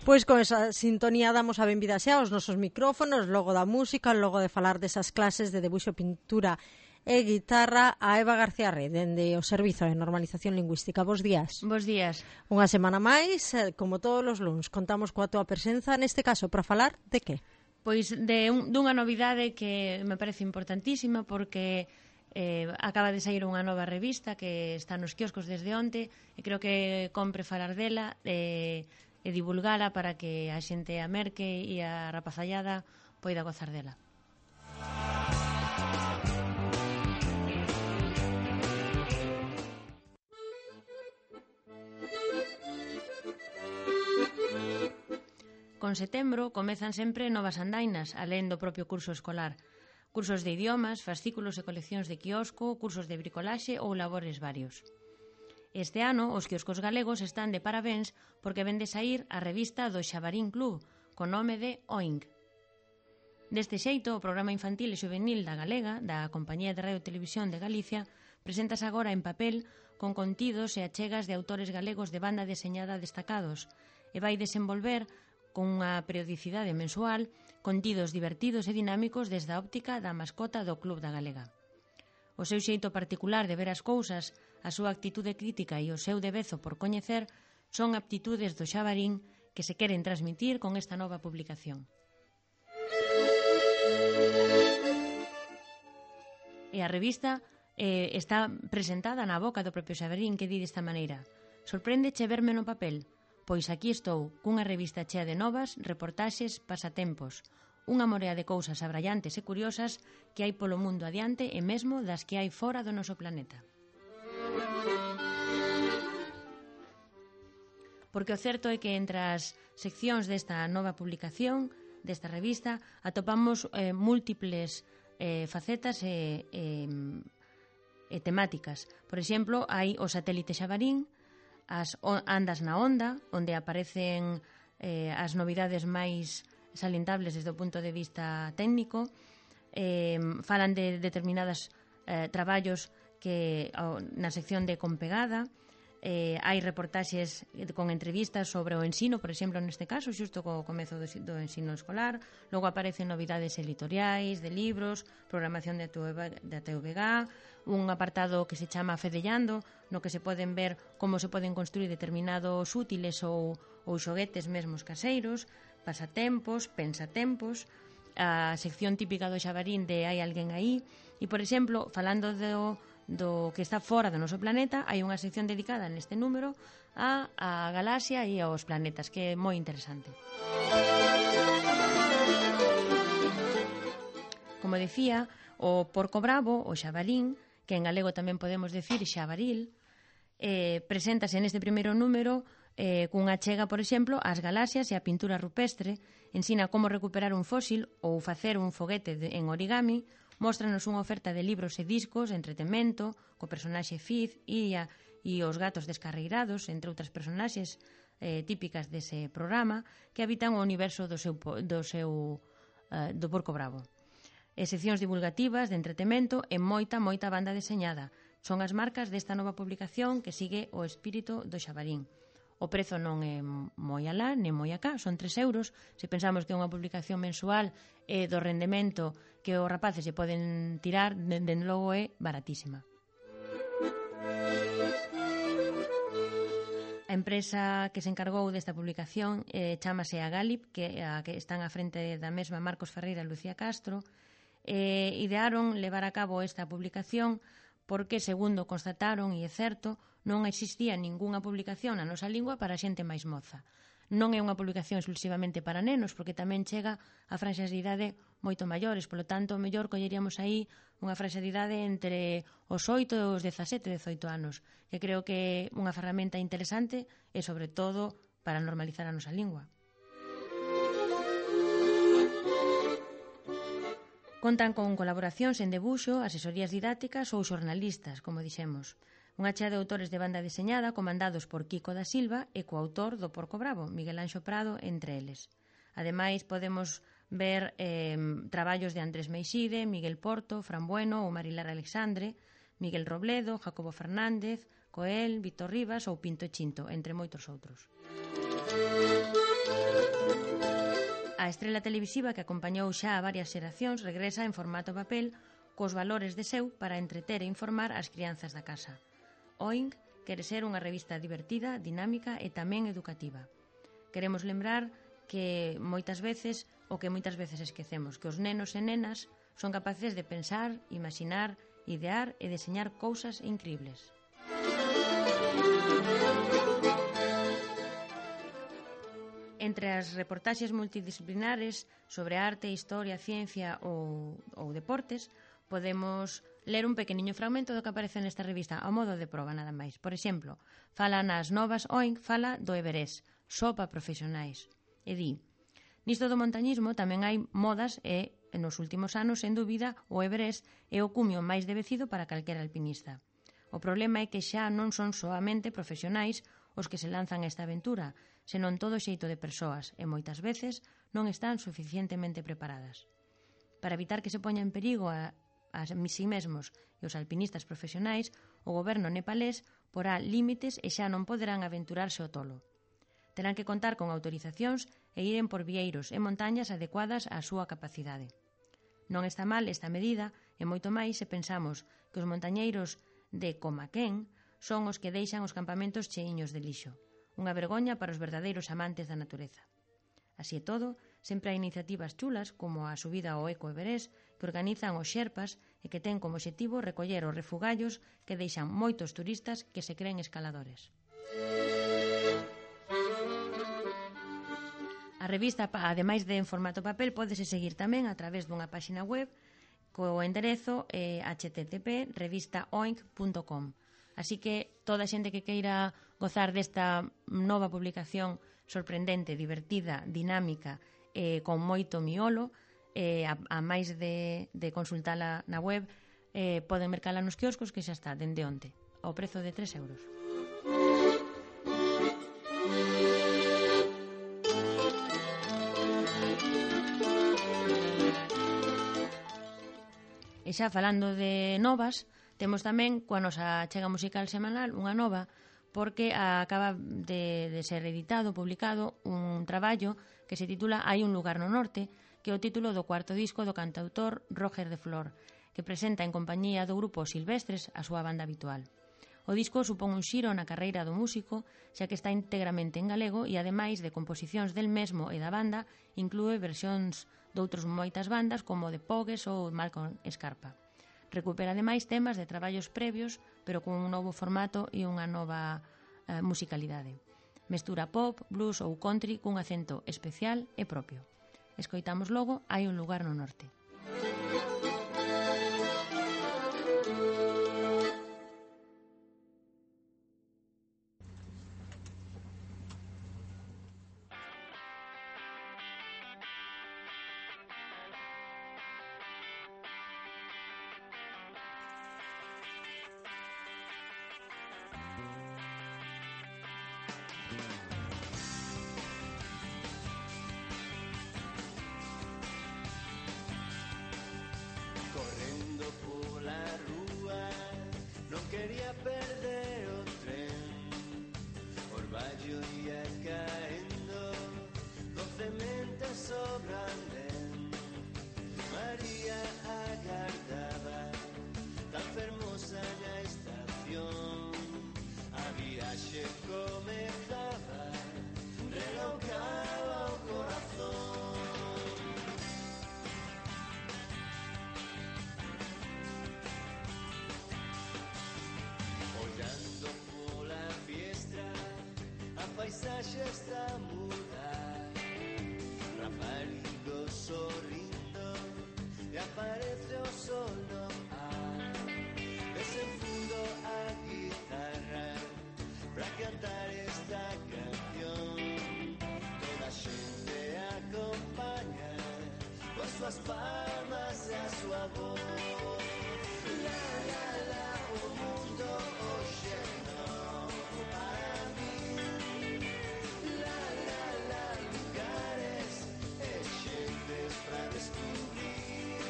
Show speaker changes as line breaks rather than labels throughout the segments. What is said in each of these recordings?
Pois con esa sintonía damos a benvida xa aos nosos micrófonos, logo da música, logo de falar desas clases de debuxo, pintura e guitarra, a Eva García Rey, dende o Servizo de Normalización Lingüística. Bos días.
Bos días.
Unha semana máis, como todos os luns, contamos coa túa presenza, neste caso, para falar de que?
Pois dunha novidade que me parece importantísima porque acaba de sair unha nova revista que está nos quioscos desde onte e creo que compre falar dela e divulgala para que a xente a merque e a rapazallada poida gozar dela. Con setembro comezan sempre novas andainas, alén do propio curso escolar. Cursos de idiomas, fascículos e coleccións de quiosco, cursos de bricolaxe ou labores varios. Este ano, os quioscos galegos están de parabéns porque ven de sair a revista do Xabarín Club, con nome de Oink. Deste xeito, o programa infantil e juvenil da Galega, da Compañía de Radio e Televisión de Galicia, preséntase agora en papel con contidos e achegas de autores galegos de banda deseñada destacados e vai desenvolver con unha periodicidade mensual contidos divertidos e dinámicos desde a óptica da mascota do Club da Galega. O seu xeito particular de ver as cousas, a súa actitude crítica e o seu devezo por coñecer son aptitudes do Xabarín que se queren transmitir con esta nova publicación. E a revista está presentada na boca do propio Xabarín, que di desta maneira: sorpréndeche verme no papel? Pois aquí estou, cunha revista chea de novas, reportaxes, pasatempos, unha morea de cousas abrallantes e curiosas que hai polo mundo adiante e mesmo das que hai fora do noso planeta. Porque o certo é que entre as seccións desta nova publicación, desta revista, atopamos múltiples facetas e temáticas. Por exemplo, hai o satélite Xabarín, as andas na onda, onde aparecen as novidades máis salientables desde o punto de vista técnico, falan de determinados traballos que na sección de Compegada, hai reportaxes con entrevistas sobre o ensino, por exemplo, neste caso, xusto co comezo do ensino escolar. Logo aparecen novidades editoriais, de libros, programación da TVG, un apartado que se chama Fedellando, no que se poden ver como se poden construir determinados útiles ou xoguetes mesmos caseiros, pasatempos, pensatempos, a sección típica do Xabarín de Hai alguén aí, e, por exemplo, falando do que está fora do noso planeta, hai unha sección dedicada neste número a galaxia e aos planetas, que é moi interesante. Como decía, o porco bravo, o xabalín, que en galego tamén podemos decir xabaril, preséntase neste primeiro número cunha chega, por exemplo, ás galaxias e a pintura rupestre, ensina como recuperar un fósil ou facer un foguete en origami, móstranos unha oferta de libros e discos, entretemento, co personaxe Fiz, Iria e os gatos descarreirados, entre outras personaxes típicas dese programa, que habitan o universo do porco bravo. E seccións divulgativas de entretemento e moita banda deseñada. Son as marcas desta nova publicación que sigue o espírito do Xabarín. O prezo non é moi alá, nem moi acá, son 3 euros. Se pensamos que é unha publicación mensual e do rendemento que os rapaces se poden tirar, dende logo é baratísima. A empresa que se encargou desta publicación chámase Agalip, que están á frente da mesma Marcos Ferreira e Lucía Castro, idearon levar a cabo esta publicación porque, segundo constataron, e é certo, non existía ningunha publicación na nosa lingua para a xente máis moza. Non é unha publicación exclusivamente para nenos, porque tamén chega a franxas de idade moito maiores, polo tanto, mellor colleríamos aí unha franxa de idade entre os 8 e os 17, 18 anos, que creo que é unha ferramenta interesante e, sobre todo, para normalizar a nosa lingua. Contan con colaboracións en debuxo, asesorías didácticas ou xornalistas, como dixemos. Unha chea de autores de banda deseñada comandados por Kiko da Silva e coautor do Porco Bravo, Miguel Anxo Prado, entre eles. Ademais, podemos ver traballos de Andrés Meixide, Miguel Porto, Fran Bueno ou Marilar Alexandre, Miguel Robledo, Jacobo Fernández, Coel, Víctor Rivas ou Pinto e Chinto, entre moitos outros. A estrela televisiva que acompañou xa a varias xeracións regresa en formato papel cos valores de seu para entreter e informar as crianzas da casa. Oink quere ser unha revista divertida, dinámica e tamén educativa. Queremos lembrar que moitas veces esquecemos, que os nenos e nenas son capaces de pensar, imaginar, idear e deseñar cousas incribles. Entre as reportaxes multidisciplinares sobre arte, historia, ciencia ou deportes, podemos ler un pequeniño fragmento do que aparece nesta revista, ao modo de proba nada máis. Por exemplo, fala nas novas Oink, fala do Everest, só para profesionais. E di, nisto do montañismo tamén hai modas e, nos últimos anos, sen dúbida, o Everest é o cumio máis devecido para calquera alpinista. O problema é que xa non son soamente profesionais os que se lanzan a esta aventura, senón todo xeito de persoas e moitas veces non están suficientemente preparadas. Para evitar que se poña en perigo a si mesmos e os alpinistas profesionais, o goberno nepalés porá límites e xa non poderán aventurarse ao tolo. Terán que contar con autorizacións e iren por vieiros e montañas adecuadas á súa capacidade. Non está mal esta medida e moito máis se pensamos que os montañeiros de Comaquén son os que deixan os campamentos cheiños de lixo. Unha vergoña para os verdadeiros amantes da natureza. Así e todo, sempre hai iniciativas chulas como a subida ao Eco Everest que organizan os xerpas e que ten como obxectivo recoller os refugallos que deixan moitos turistas que se creen escaladores. A revista, ademais de en formato papel, pódese seguir tamén a través dunha páxina web co enderezo http://revistaoink.com. Así que toda a xente que queira gozar desta nova publicación sorprendente, divertida, dinámica e con moito miolo, a máis de consultala na web, poden mercala nos quioscos que xa está dende onte, ao prezo de 3 euros. E xa falando de novas, temos tamén, coa nosa achega musical semanal, unha nova, porque acaba de ser editado, publicado, un traballo que se titula Hai un lugar no norte, que é o título do cuarto disco do cantautor Roger de Flor, que presenta en compañía do grupo Silvestres a súa banda habitual. O disco supón un xiro na carreira do músico, xa que está íntegramente en galego e, ademais de composicións del mesmo e da banda, inclúe versións doutros moitas bandas como The Pogues ou Malcolm Scarpa. Recupera ademais temas de traballos previos, pero con un novo formato e unha nova musicalidade. Mestura pop, blues ou country cun acento especial e propio. Escoitamos logo Hai un lugar no norte.
Quería perder o tren, orballo ia caendo, docemente sobrande. María agardaba, tan fermosa na estación. A viaxe comezaba, relocaba o corazón. Paisaxe está a mudar, raparigo sorrindo e aparece o sol no ar. Desenfundo a guitarra pra cantar esta canción. Toda a xente acompaña con suas palmas e a súa voz. La, la, la, o mundo hoxe non para mí. Para descubrir,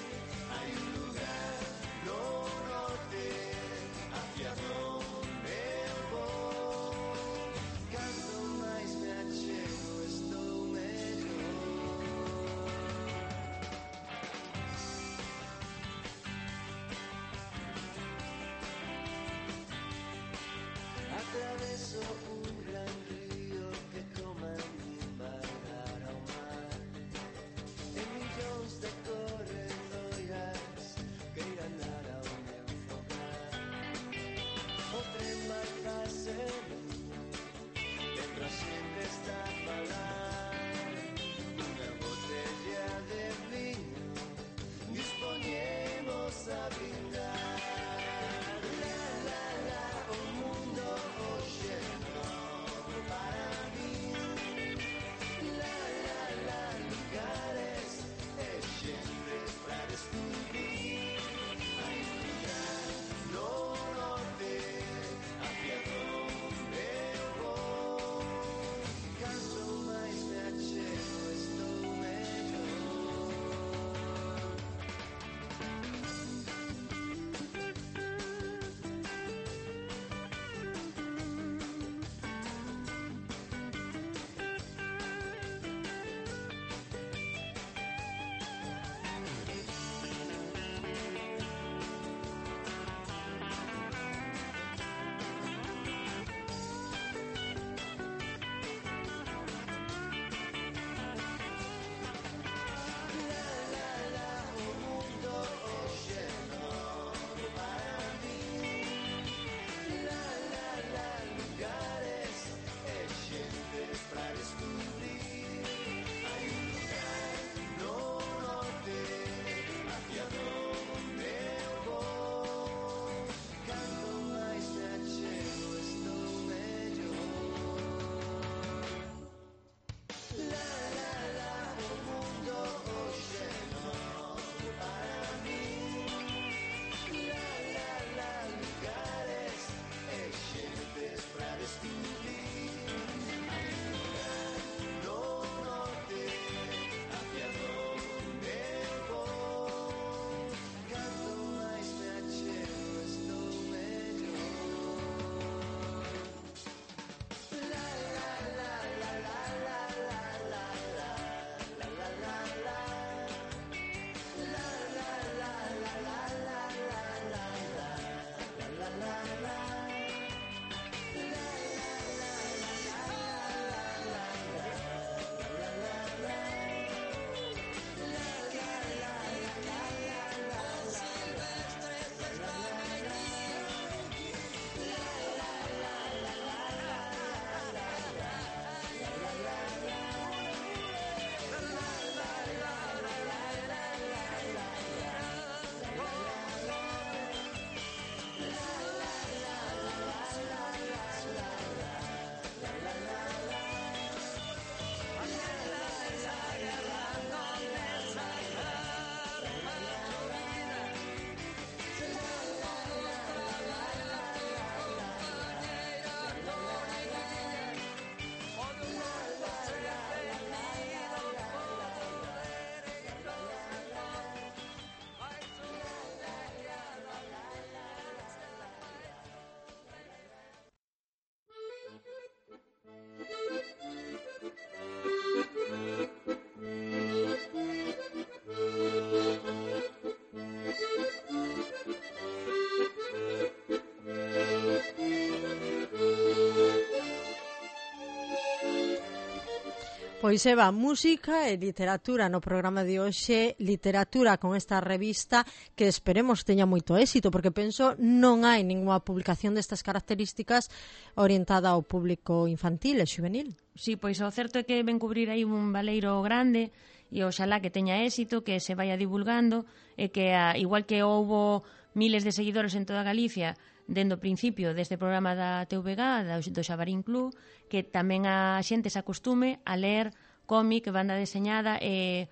hay un lugar no norte hacia donde eu vou. Canto máis me achego, estou
Pois Eva, música e literatura no programa de hoxe, literatura con esta revista que esperemos teña moito éxito, porque penso non hai ninguna publicación destas características orientada ao público infantil e juvenil.
Sí, pois o certo é que ven cubrir aí un baleiro grande e oxalá que teña éxito, que se vaya divulgando e que igual que houbo miles de seguidores en toda Galicia dende o principio deste programa da TVG, do Xabarín Club, que tamén a xente se acostume a ler cómic, banda deseñada e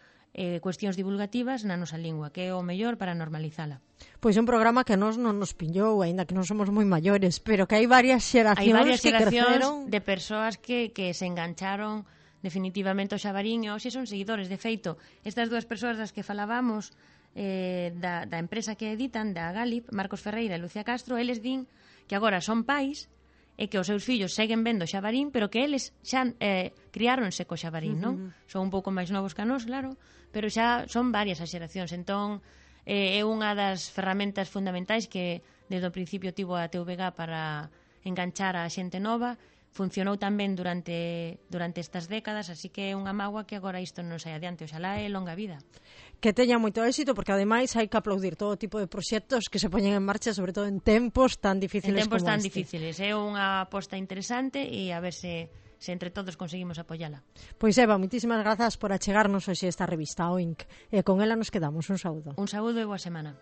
cuestións divulgativas na nosa lingua, que é o mellor para normalizala.
Pois é un programa que non nos pillou, aínda que non somos moi maiores, pero que hai varias xeracións que creceron
de persoas que se engancharon definitivamente ao Xabarín e hoxe son seguidores. De feito, estas dúas persoas das que falábamos da empresa que editan, da Galip, Marcos Ferreira e Lucía Castro, eles din que agora son pais e que os seus fillos seguen vendo Xabarín, pero que eles xa criáronse co Xabarín, non? Son un pouco máis novos que a nós, claro, pero xa son varias as xeracións. Entón, é unha das ferramentas fundamentais que desde o principio tivo a TVG para enganchar a xente nova. Funcionou tamén durante estas décadas, así que é unha mágoa que agora isto non saia adiante. Oxalá é longa vida.
Que teña moito éxito, porque ademais hai que aplaudir todo tipo de proxectos que se poñen en marcha, sobre todo en tempos tan difíciles como este.
En tempos tan difíciles. É unha aposta interesante e a ver se entre todos conseguimos apoiala.
Pois Eva, moitísimas grazas por achegarnos hoxe esta revista, o Inc. E con ela nos quedamos. Un saúdo.
Un saúdo e boa semana.